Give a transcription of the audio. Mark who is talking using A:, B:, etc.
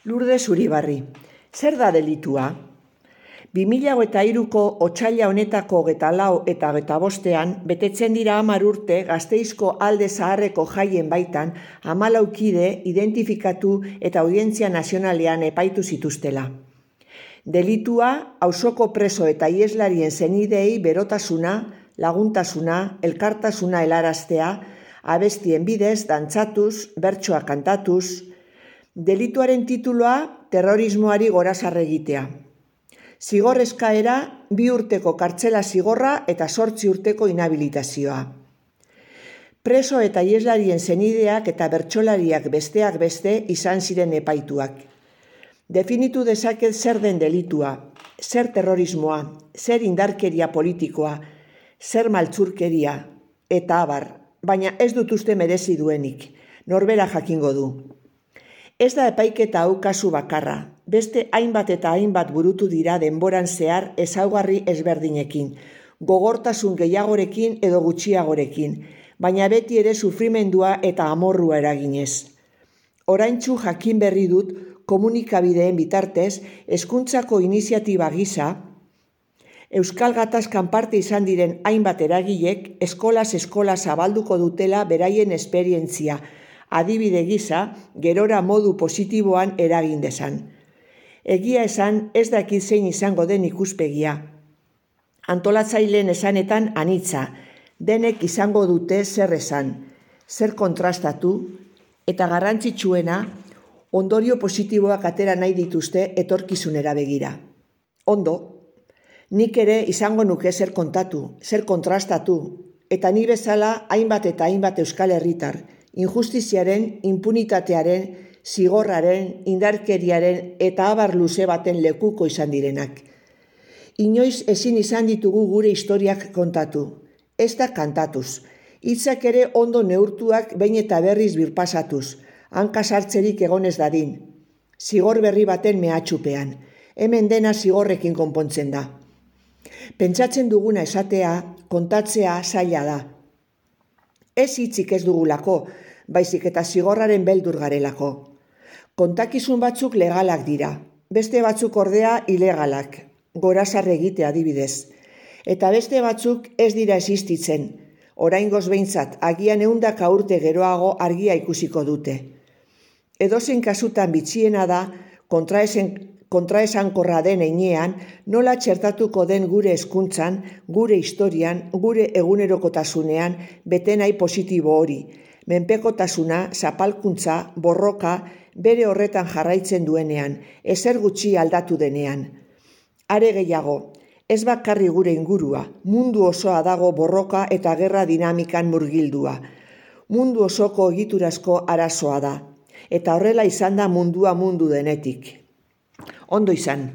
A: Lourdes Uribarri, zer da delitua? 2023ko otsaila honetako 24 eta 25ean betetzen dira 10 urte Gasteizko Alde Zaharreko jaien baitan 14 kide identifikatu eta Audientzia Nazionalean epaitu zituztela. Delitua auzoko preso eta iheslarien senideei berotasuna, laguntasuna, elkartasuna helaraztea, abestien bidez, dantzatuz, bertsoak kantatuz. Delituaren tituloa terrorismoari gorazarre egitea. Zigor eskaera 2 urteko kartzela zigorra eta 8 urteko inhabilitazioa. Preso eta iheslarien senideak eta bertsolariak besteak beste izan ziren epaituak. Definitu dezaket zer den delitua, zer terrorismoa, zer indarkeria politikoa, zer maltzurkeria, eta abar, baina ez dut uste merezi duenik, norbera jakingo du. Ez da epaiketa hau kasu bakarra, beste hainbat eta hainbat burutu dira denboran zehar ezaugarri ezberdinekin, gogortasun gehiagorekin edo gutxiagorekin, baina beti ere sufrimendua eta amorrua eraginez. Oraintsu jakin berri dut komunikabideen bitartez, hezkuntzako iniziatiba gisa, Euskal Gatazkan parte izan diren hainbat eragilek eskolaz eskola zabalduko dutela beraien esperientzia, adibide gisa, gerora modu positiboan eragin dezan. Egia esan, ez dakit zein izango den ikuspegia. Antolatzaileen esanetan anitza, denek izango dute zer esan, zer kontrastatu, eta garrantzitsuena, ondorio positiboak atera nahi dituzte etorkizunera begira. Ondo, nik ere izango nuke zer kontatu, zer kontrastatu, eta ni bezala hainbat eta hainbat euskal herritar, injustiziaren, impunitatearen, zigorraren, indarkeriaren eta abar luze baten lekuko izan direnak. Inoiz ezin izan ditugu gure historiak kontatu, ez da kantatuz, hitzak ere ondo neurtuak behin eta berriz birpasatuz, hanka sartzerik egonez dadin, zigor berri baten mehatxupean, hemen dena zigorrekin konpontzen da. Pentsatzen duguna esatea, kontatzea zaila da. Ez hitzik ez dugulako, baizik eta zigorraren beldur garelako. Kontakizun batzuk legalak dira, beste batzuk ordea ilegalak, gorazarre egitea adibidez. Eta beste batzuk ez dira existitzen, oraingoz behintzat agian 100 urte geroago argia ikusiko dute. Edozein kasutan bitxiena da, kontraesankorra den heinean, nola txertatuko den gure hezkuntzan, gure historian, gure egunerokotasunean bete nahi positibo hori, menpekotasuna, zapalkuntza, borroka, bere horretan jarraitzen duenean, ezer gutxi aldatu denean. Are gehiago, ez bakarri gure ingurua, mundu osoa dago borroka eta gerra dinamikan murgildua. Mundu osoko egiturazko arazoa da, eta horrela izan da mundua mundu denetik. Ondo izan.